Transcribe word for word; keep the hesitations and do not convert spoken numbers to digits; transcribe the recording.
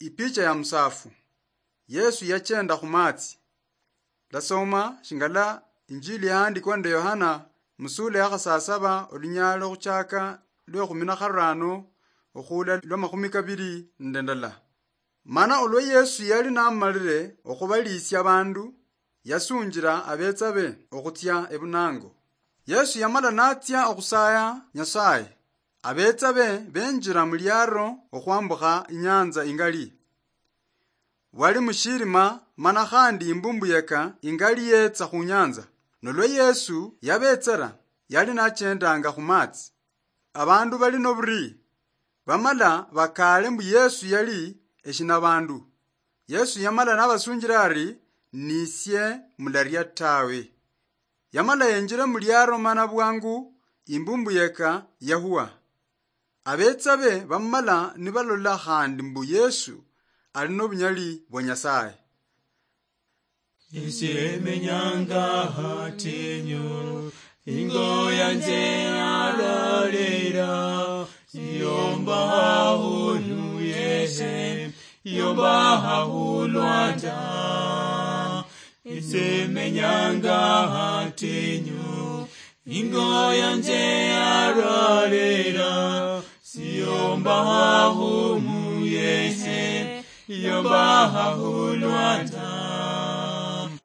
Ipicha ya musafu. Yesu yachenda khumatsi. Ndasoma shingala Injili yahandikwa nende Yohana musula ya khasasaba, olunyalo khuchaka lwe khumi na kharano okhuula lwa makhumi kabiri nende ndala. Mana olwa Yesu yali namalire okhubaliisia abandu, yasunjira abetsa be okhutsia ebunango. Yesu yamala natsia okhusaya Nyasaye. Abetsa be benjira muliaro okhwambukha inyanza ingali. Bwali mushirima, mana khandi imbumbu yeka ingali yetsa khunyanza. Nolwa Yesu yabetsera, yali nachendanga khumatsi. Abandu bali noburi, bamala bakaale mbu Yesu yali eshinabandu. Yesu yamala nabasunjira ari, "Nisie, mularia tawe." Yamala yenjira muliaro mana bwangu imbumbu yeka yahuwa. Abetsa be bamala nibalola khandi mbu Yesu ali nobunyali bwa Nyasaye. Esie menyanga hatinyu, ingo yanje yararera, yomba hahulu yese, yomba hahulwanda. Esie menyanga hatinyu, ingo yanje yararera, siyomba hahumu yese, yomba hahulwanda.